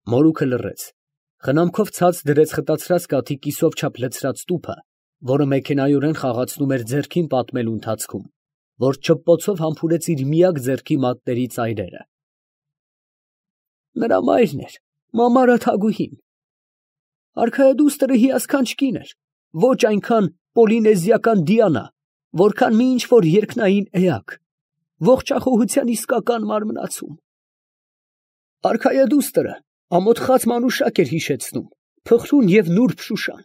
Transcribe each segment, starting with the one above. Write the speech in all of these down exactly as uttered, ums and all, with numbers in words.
Մորուքը լռեց, խնամքով ցած դրեց խտացրած կաթի կիսով չափ լցրած տուփը, որը մեքենայորեն խաղացնում էր ձեռքին պատմելու ընթացքում, որ չպպոցով համբուրեց իր միակ ձեռքի մատների ծայրերը։ Նրա մայրն էր, Մամարա Թագուհին։ Արքայադուստրը հիասքանչ կին էր, ոչ այնքան պոլինեզիական Դիանա, որքան մի ինչ-որ երկնային էակ, ողջախոհության իսկական մարմնացում։ Արքայադուստրը ամոթխած մանուշակ էր հիշեցնում, փխրուն և նուրբ Շուշան։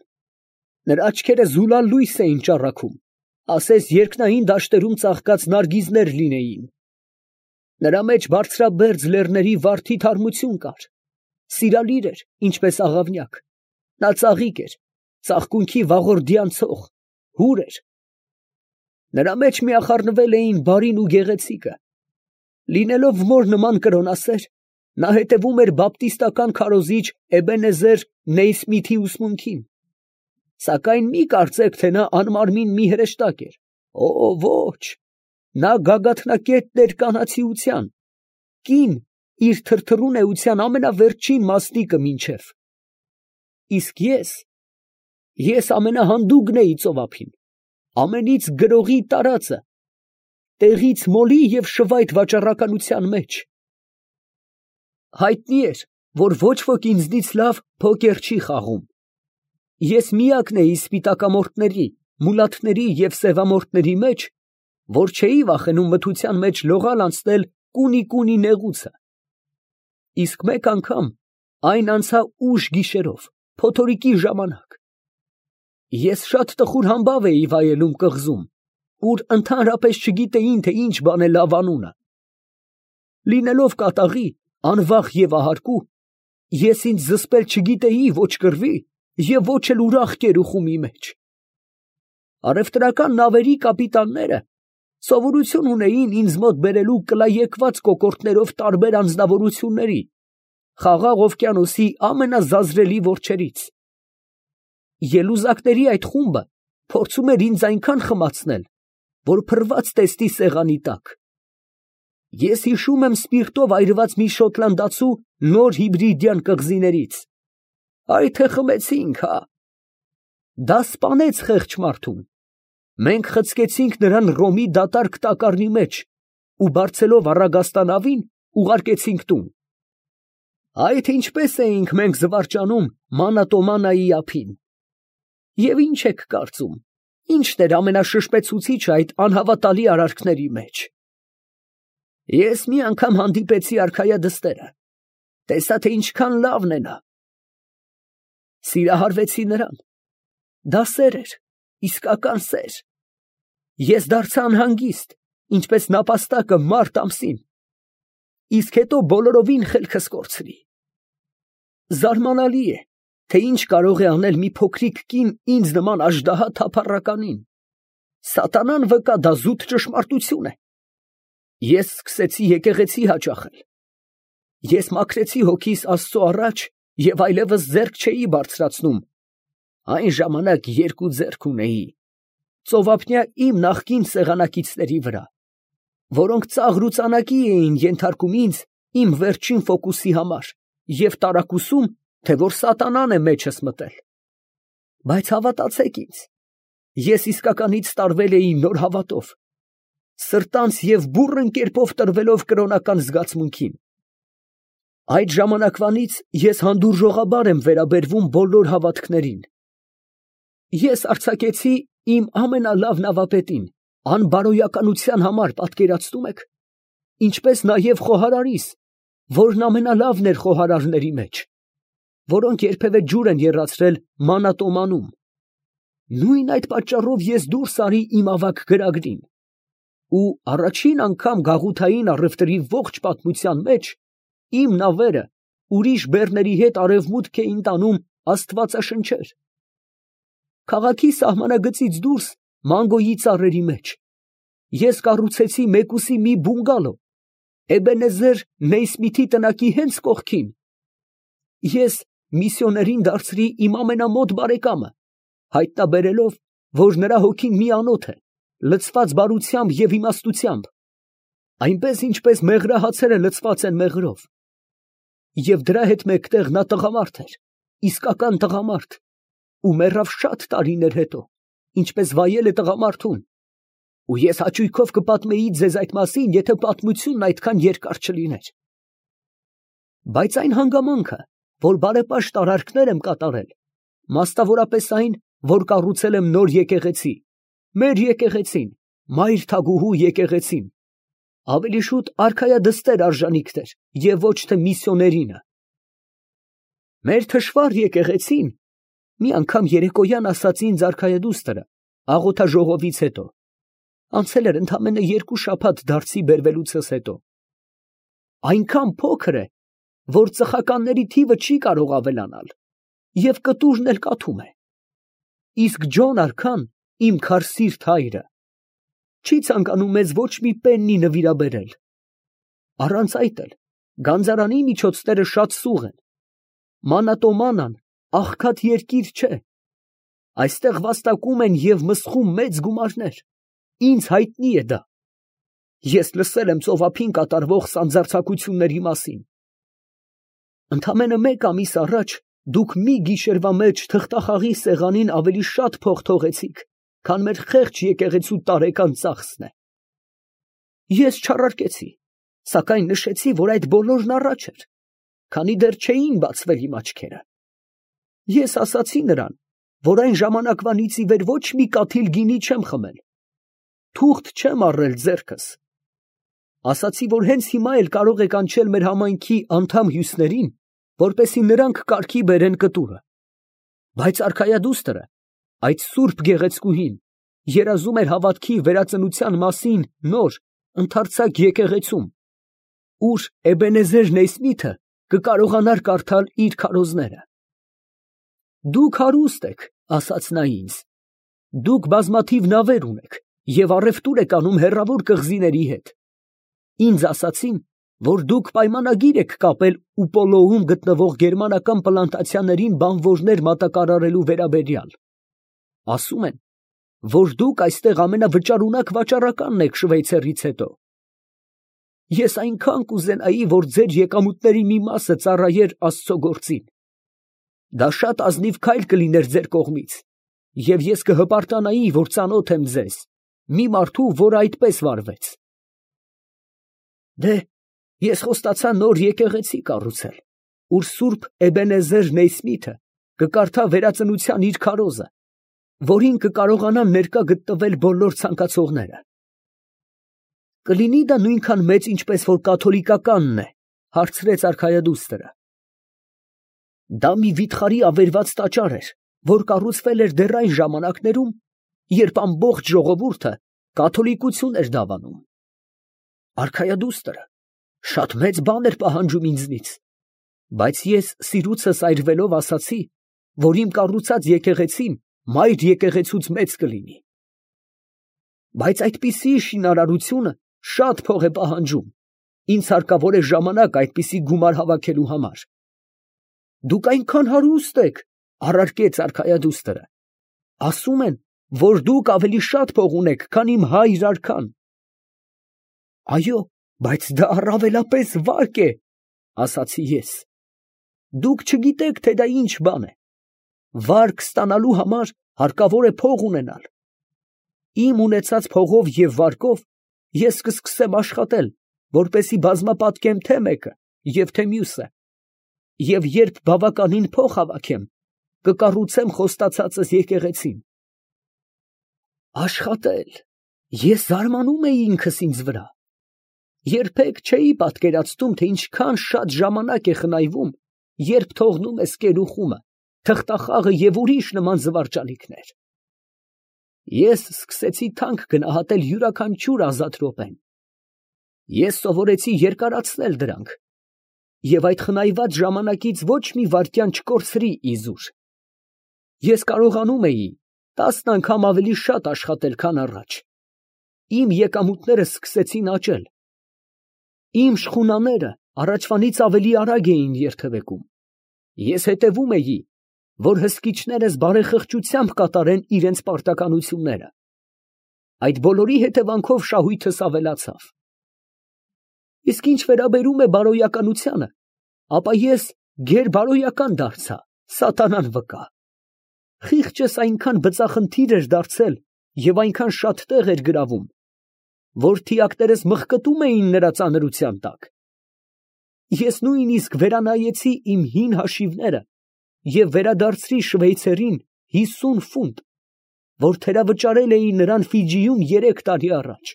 Նրա աչքերը զուլալ լույս էին ճառագում, ասես երկնային դաշտերում ծաղկած նարգիզներ լինեին։ Նրա մեջ բարձրաբերձ լեռների վարդի թարմություն կար, սիրալիր էր, ինչպես աղավնյակ, նա ծաղիկ էր, ծաղկունքի վաղորդյան ցող, հուր էր։ Նրա մեջ միախառնվել էին բարին ու գեղեցիկը։ Լինելով մոր նման կրոնասեր, նա հետևում էր բապտիստական քարոզիչ Էբենեզեր Նեյսմիթի ուսմունքին, սակայն մի կարծեք, թե նա անմարմին մի հրեշտակ էր, օ ոչ, նա գագաթնակետն էր կանացիության, կին իր թրթռուն էության ամենավերջին մասնիկը մինչև։ Իսկ ես, ես ամենահանդուգն էի ծովափին, ամենից գրողի տարածը, տեղից մոլի և շվայտ վաճառականության մեջ։ Հայտնի էր, որ ոչ ոք ինձնից լավ փոկեր չի խաղում։ Ես միակն էի սպիտակամորթների, մուլաթների և սևամորթների մեջ, որ չէի վախենում մթության մեջ լողալ անցնել կունի֊կունի նեղուցը։ Իսկ մեկ անգամ այն անցա ուշ գիշերով, փոթորիկի ժամանակ։ Ես շատ տխուր համբավ էի վայելում կղզում, ուր ընդհանրապես չգիտեին, թե ինչ բան է լավ անունը։ Լինելով կատաղի, անվախ և ահարկու, ես ինձ զսպել չգիտեի ոչ կռվի և ոչ էլ ուրախ կերուխումի մեջ։ Առևտրական նավերի կապիտանները սովորություն ունեին ինձ մոտ բերելու կլաեկված կոկորդներով տարբեր անձնավորությունների, խաղաղ օվկիանոսի ամենազազրելի որջերից։ Ելուզակների այդ խումբը փորձում էր ինձ այնքան խմացնել, որ փռված տեսնի սեղանի տակ։ Ես հիշում եմ սպիրտով այրված մի շոտլանդացու նոր հիբրիդյան կղզիներից։ Այ թե խմեցինք, հա։ Դա սպանեց խեղճ մարդուն։ Մենք խցկեցինք նրան Ռոմի դատարկ տակառի մեջ ու բարձելով առագաստանավին ուղարկեցինք տուն։ Այ թե ինչպես էինք մենք զվարճանում Մանատոմանայի ափին։ Եվ ինչ եք կարծում, ի՞նչն էր ամենաշշպեցուցիչը այդ անհավատալի արարքների մեջ։ Ես մի անգամ հանդիպեցի արքայադստերը, տեսա, թե ինչքան լավն է նա։ Սիրահարվեցի նրան։ Դա սեր էր, իսկական սեր։ Ես դարձա անհանգիստ, ինչպես նապաստակը մարտ ամսին, իսկ հետո բոլորովին խելքս կորցրի։ Զարմանալի է, թե ինչ կարող է անել մի փոքրիկ կին ինձ նման աժդահա թափառականին։ Սատանան վկա, դա զուտ ճշմարտություն է։ Ես սկսեցի եկեղեցի հաճախել։ Ես մաքրեցի հոգիս Աստծո առաջ և այլևս ձեռք չէի բարձրացնում, այն ժամանակ երկու ձեռք ունեի, ծովափնյա իմ նախկին սեղանակիցների վրա, որոնք ծաղր ու ծանակի էին ենթարկում ինձ իմ վերջին ֆոկուսի համար և տարակուսում, թե որ սատանան է մեջս մտել։ Բայց հավատացեք ինձ, ես իսկականից տարվել էի նոր հավատով, սրտանց և բուռն կերպով տրվելով կրոնական զգացմունքին։ Այդ ժամանակվանից ես հանդուրժողաբար եմ վերաբերվում բոլոր հավատքներին։ Ես արձակեցի իմ ամենալավ նավապետին, անբարոյականության համար, պատկերացնում եք, ինչպես նաև խոհարարիս, որն ամենալավն էր խոհարարների մեջ, որոնք երբևէ ջուր են եռացրել Մանատոմանում։ Նույն այդ պատճառով ես դուրս արի իմ ավագ գրագրին, ու առաջին անգամ գաղութային առևտրի ողջ պատմության մեջ իմ նավերը ուրիշ բեռների հետ արևմուտք էին տանում աստվածաշնչեր։ Քաղաքի սահմանագծից դուրս մանգոյի ծառերի մեջ ես կառուցեցի մեկուսի մի բունգալո Էբենեզեր Նեյսմիթի տնակի հենց կողքին։ Ես միսիոներին դարձրի իմ ամենամոտ բարեկամը, հայտնաբերելով, որ նրա հոգին միանոթ է, լցված բարությամբ և իմաստությամբ, այնպես ինչպես մեղրահացերը լցված են մեղրով։ և դրա հետ մեկտեղ նա տղամարդ էր, իսկական տղամարդ, ու մեռավ շատ տարիներ հետո, ինչպես վայել է տղամարդուն, ու ես հաճույքով կպատմեի ձեզ այդ մասին, եթե պատմությունն այդքան երկար չլիներ. բայց այն հանգամանքը, որ բարեպաշտ արարքներ եմ կատարել, մասնավորապես այն, որ կառուցել եմ նոր եկեղեցի, մեր եկեղեցին, մայր թագուհու եկեղեցին, ավելի շուտ արքայադստեր արժանիքներ և ոչ թե միսիոներինը։ Մեր թշվառ եկեղեցին, մի անգամ երեկոյան ասաց ինձ արքայադուստրը, աղոթաժողովից հետո, անցել էր ընդամենը երկու շաբաթ դարձի բերվելուցս հետո, այնքան փոքր է, որ ծխականների թիվը չի կարող ավելանալ, և կտուրն էլ կաթում է, իսկ Ջոն արքան, իմ քարսիրտ հայրը, չի ցանկանում մեզ ոչ մի պեննի նվիրաբերել, առանց այդ էլ գանձարանի միջոցները շատ սուղ են, Մանատոմանան աղքատ երկիր չէ, այստեղ վաստակում են և մսխում մեծ գումարներ, ինձ հայտնի է դա, ես լսել եմ ծովափին կատարվող սանձարձակությունների մասին, ընդամենը մեկ ամիս առաջ դուք մի գիշերվա մեջ թղթախաղի սեղանին ավելի շատ փող թողեցիք, քան մեր խեղճ եկեղեցու տարեկան ծախսն է։ Ես չառարկեցի, սակայն նշեցի, որ այդ բոլորն առաջ էր, քանի դեռ չէին բացվել իմ աչքերը։ Ես ասացի նրան, որ այն ժամանակվանից ի վեր ոչ մի կաթիլ գինի չեմ խմել, թուղթ չեմ առել ձեռքս։ Ասացի, որ հենց հիմա էլ կարող է կանչել մեր համայնքի անդամ հյուսներին, որպեսզի նրանք կարգի բերեն կտուրը։ Բայց արքայադուստրը, այդ սուրբ գեղեցկուհին, երազում էր հավատքի վերածնության մասին նոր, ընդարձակ եկեղեցում, ուր Էբենեզեր Նեյսմիթը կկարողանար կարդալ իր քարոզները։ Դուք հարուստ եք, ասաց նա ինձ, դուք բազմաթիվ նավեր ունեք և առևտուր եք անում հեռավոր կղզիների հետ։ Ինձ ասացին, որ դուք պայմանագիր եք կապել Ուպոլոում գտնվող գերմանական պլանտացիաներին բանվորներ մատակարարելու վերաբերյալ։ Ասում են, որ դուք այստեղ ամենավճարունակ վաճառականն եք Շվեյցարիից հետո։ Ես այնքան կուզենայի, որ ձեր եկամուտների մի մասը ծառայեր Աստծո գործին։ Դա շատ ազնիվ քայլ կլիներ ձեր կողմից, և ես կհպարտանայի, որ ծանոթ եմ ձեզ, մի մարդու, որ այդպես վարվեց։ Դե, ես խոստացա նոր եկեղեցի կառուցել, ուր սուրբ Էբենեզեր Նեյսմիթը կկարդա վերածնության իր քարոզը, որին կկարողանան ներկա գտնվել բոլոր ցանկացողները։ Կլինի դա նույնքան մեծ, ինչպես որ կաթոլիկականն է, հարցրեց արքայադուստրը։ Դա մի վիթխարի ավերված տաճար էր, որ կառուցվել էր դեռ այն ժամանակներում, երբ ամբողջ ժողովուրդը կաթոլիկություն էր դավանում։ Արքայադուստրը շատ մեծ բան էր պահանջում ինձնից, բայց ես սիրուցս այրվելով ասացի, որ իմ կառուցած եկեղեցին մայր եկեղեցուց մեծ կլինի։ Բայց այդպիսի շինարարությունը շատ փող է պահանջում, ինձ հարկավոր է ժամանակ այդպիսի գումար հավաքելու համար։ Դուք այնքան հարուստ եք, առարկեց արքայադուստրը, ասում են, որ դուք ավելի շատ փող ունեք, քան իմ հայր արքան։ Այո, բայց դա առավելապես վարկ է, ասացի ես։ Դուք չգիտեք, թե դա ինչ բան է։ Վարկ ստանալու համար հարկավոր է փող ունենալ։ Իմ ունեցած փողով և վարկով ես կսկսեմ աշխատել, որպեսզի բազմապատկեմ թե մեկը և թե մյուսը, և երբ բավականին փող հավաքեմ, կկառուցեմ խոստացածս եկեղեցին։ Աշխատել, ես զարմանում էի ինքս ինձ վրա։ Երբեք չէի պատկերացնում, թե ինչքան շատ ժամանակ է խնայվում, երբ թողնում ես կերուխումը, թղթախաղը և ուրիշ նման զվարճալիքներ։ Ես սկսեցի թանկ գնահատել յուրաքանչյուր ազատ րոպեն։ Ես սովորեցի երկարացնել դրանք, և այդ խնայված ժամանակից ոչ մի վայրկյան չկորցրի իզուր։ Ես կարողանում էի տասն անգամ ավելի շատ աշխատել, քան առաջ։ Իմ եկամուտները սկսեցին աճել։ Իմ շխունաները առաջվանից ավելի արագ էին երթևեկում։ Ես հետևում էի, որ հսկիչներս բարեխղճությամբ կատարեն իրենց պարտականությունները։ Այդ բոլորի հետևանքով շահույթս ավելացավ։ Իսկ ինչ վերաբերում է բարոյականությանը, ապա ես գերբարոյական դարձա, սատանան վկա։ Խիղճս այնքան բծախնդիր էր դարձել և այնքան շատ տեղ էր գրավում, որ թիակներս մղկտում էին նրա ծանրության տակ։ Ես նույնիսկ վերանայեցի իմ հին հաշիվները և վերադարձրի շվեյցերին հիսուն ֆունտ, որ թերավճարել էի նրան Ֆիջիում երեք տարի առաջ,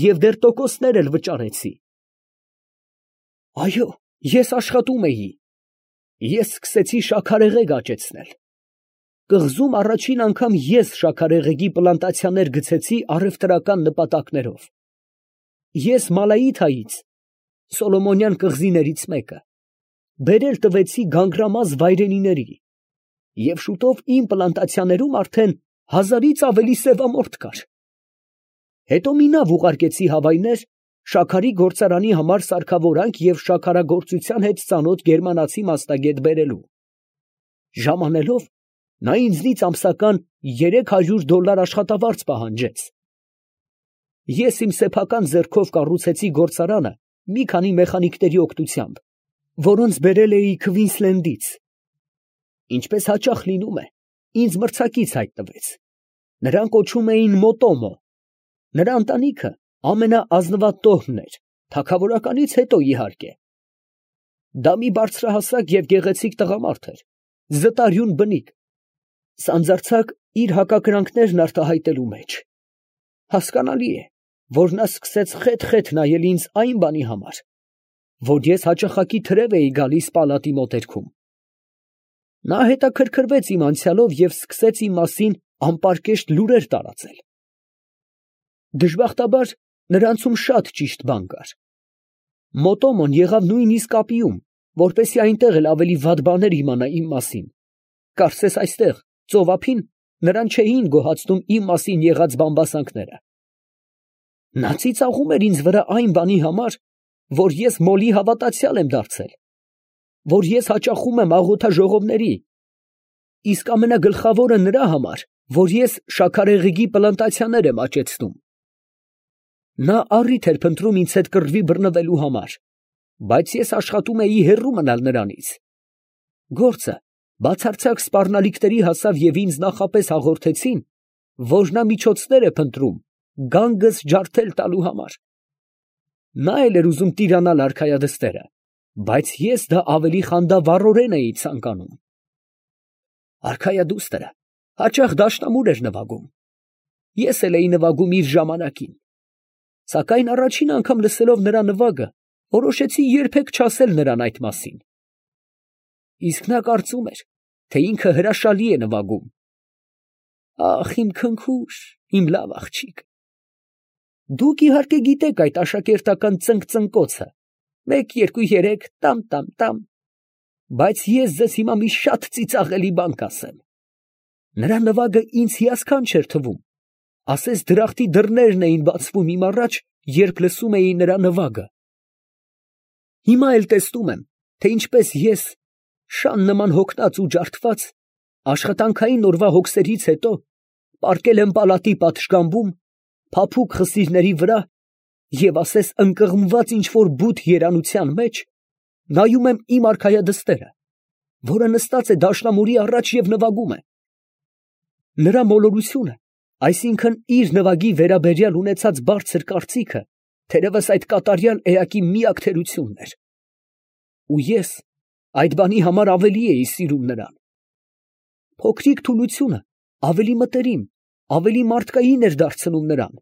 և դեռ տոկոսներ էլ վճարեցի։ Այո, ես աշխատում էի, ես սկսեցի շաքարեղեգ աճեցնել։ Կղզում առաջին անգամ ես շաքարեղեգի պլանտացիաներ գցեցի առևտրական նպատակներով։ Ես Մալայիթայից, Սոլոմոնյան կղզիներից մեկը, բերել տվեցի գանգրամազ վայրենիների, և շուտով իմ պլանտացիաներում արդեն հազարից ավելի սևամորթ կար։ Հետո մի նավ ուղարկեցի Հավայներ շաքարի գործարանի համար սարքավորանք և շաքարագործության հետ ծանոթ գերմանացի մասնագետ բերելու։ Ժամանելով, նա ինձնից ամսական երեք հարյուր դոլար աշխատավարձ պահանջեց։ Ես իմ սեփական ձեռքով կառուցեցի գործարանը մի քանի մեխանիկների օգնությամբ, որոնց բերել էի Քվինսլենդից։ Ինչպես հաճախ լինում է, ինձ մրցակից հայտնվեց։ Նրան կոչում էին Մոտոմո։ Նրա ընտանիքը ամենաազնվատոհմն էր, թագավորականից հետո իհարկե։ Դա մի բարձրահասակ և գեղեցիկ տղամարդ էր, զտարյուն բնիկ, սանձարձակ իր հակակրանքներն արտահայտելու մեջ։ Հասկանալի է, որ նա սկսեց խեթ֊խեթ նայել ինձ այն բանի համար, որ ես հաճախակի թրև էի գալիս պալատի մոտերքում։ Նա հետաքրքրվեց իմ անցյալով և սկսեց իմ մասին անպարկեշտ լուրեր տարածել։ Դժբախտաբար, նրանցում շատ ճիշտ բան կար։ Մոտոմոն եղավ նույնիսկ Ապիում, որպեսզի այնտեղ էլ ավելի վատ բաներ իմանա իմ մասին։ Կարծես այստեղ, ծովափին, նրան չէին գոհացնում իմ մասին եղած բամբասանքները։ Նա ծիծաղում էր ինձ վրա այն բանի համար, որ ես մոլի հավատացյալ եմ դարձել, որ ես հաճախում եմ աղոթաժողովների, իսկ ամենագլխավորը նրա համար, որ ես շաքարեղեգի պլանտացիաներ եմ աճեցնում։ Նա առիթ էր փնտրում ինձ հետ կռվի բռնվելու համար, բայց ես աշխատում էի հեռու մնալ նրանից։ Գործը բացարձակ սպառնալիքների հասավ և ինձ նախապես հաղորդեցին, որ նա միջոցներ է փնտրում գանգս ջարդել տալու համար։ Նա էլ էր ուզում տիրանալ արքայադստերը, բայց ես դա ավելի խանդավառորեն էի ցանկանում։ Արքայադուստերը հաճախ դաշնամուր էր նվագում։ Ես էլ էի նվագում իր ժամանակին։ Սակայն առաջին անգամ լսելով նրա նվագը, որոշեցի երբեք չասել նրան այդ մասին։ Իսկ նա կարծում էր, թե ինքը հրաշալի է նվագում։ Ախ, իմ քնքուշ, իմ լավ աղջիկ։ Դուք իհարկե գիտեք այդ աշակերտական ծնկ֊ծնկոցը, մեկ, երկու, երեք, տամ֊տամ֊տամ, բայց ես ձեզ հիմա մի շատ ծիծաղելի բան կասեմ։ Նրա նվագը ինձ հիասքանչ էր թվում, ասես դրախտի դռներն էին բացվում իմ առաջ, երբ լսում էի նրա նվագը։ Հիմա էլ տեսնում եմ, թե ինչպես ես, շան նման հոգնած ու ջարդված, աշխատանքային օրվա հոգսերից հետո, պառկել եմ պալատի պատշգամբում, փափուկ խսիրների վրա և ասես ընկղմված ինչ֊որ բութ երանության մեջ, նայում եմ իմ արքայադստերը, որը նստած է դաշնամուրի առաջ և նվագում է։ Նրա մոլորությունը, այսինքն իր նվագի վերաբերյալ ունեցած բարձր կարծիքը, թերևս այդ կատարյալ էակի միակ թերությունն էր։ Ու ես այդ բանի համար ավելի էի սիրում նրան։ Փոքրիկ թուլությունը ավելի մտերիմ, ավելի մարդկային էր դարձնում նրան։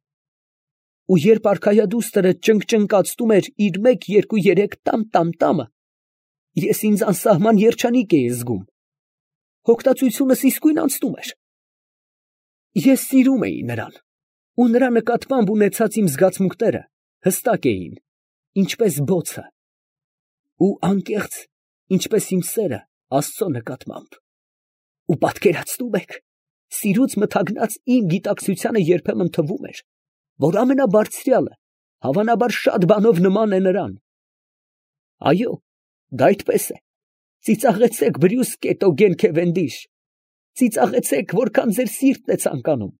Ու երբ արքայադուստրը ճնգճնկացնում էր իր մեկ, երկու, երեք տամ֊տամ֊տամը, ես ինձ անսահման երջանիկ էի զգում։ Հոգնածությունս իսկույն անցնում էր։ Ես սիրում էի նրան, ու նրա նկատմամբ ունեցած իմ զգացմունքները հստակ էին, ինչպես բոցը, ու անկեղծ, ինչպես իմ սերը Աստծո նկատմամբ։ Ու պատկերացնում եք, սիրուց մթագնած իմ գիտակցությանը երբեմն թվում էր, որ ամենաբարձրյալը հավանաբար շատ բանով նման է նրան։ Այո, դա այդպես է։ Ծիծաղեցեք, Բրյուս Կետոգեն Քևենդիշ, ծիծաղեցեք, որքան ձեր սիրտն է ցանկանում,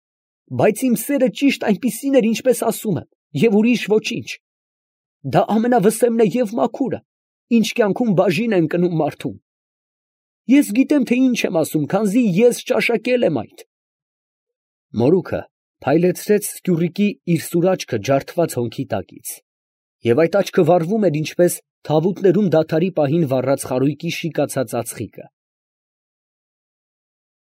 բայց իմ սերը ճիշտ այնպիսին էր, ինչպես ասում եմ, և ուրիշ ոչինչ։ Դա ամենավսեմն է և մաքուրը, ինչ կյանքում բաժին են կնում մարդուն։ Ես գիտեմ, թե ինչ եմ ասում, քանզի ես ճաշակել եմ այդ։ Մորուքը փայլեցրեց սկյուռիկի իր սուր աչքը ջարդված հոնքի տակից, և այդ աչքը վառվում էր, ինչպես թավուտներում դադարի պահին վառած խարույկի շիկացած ածխիկը։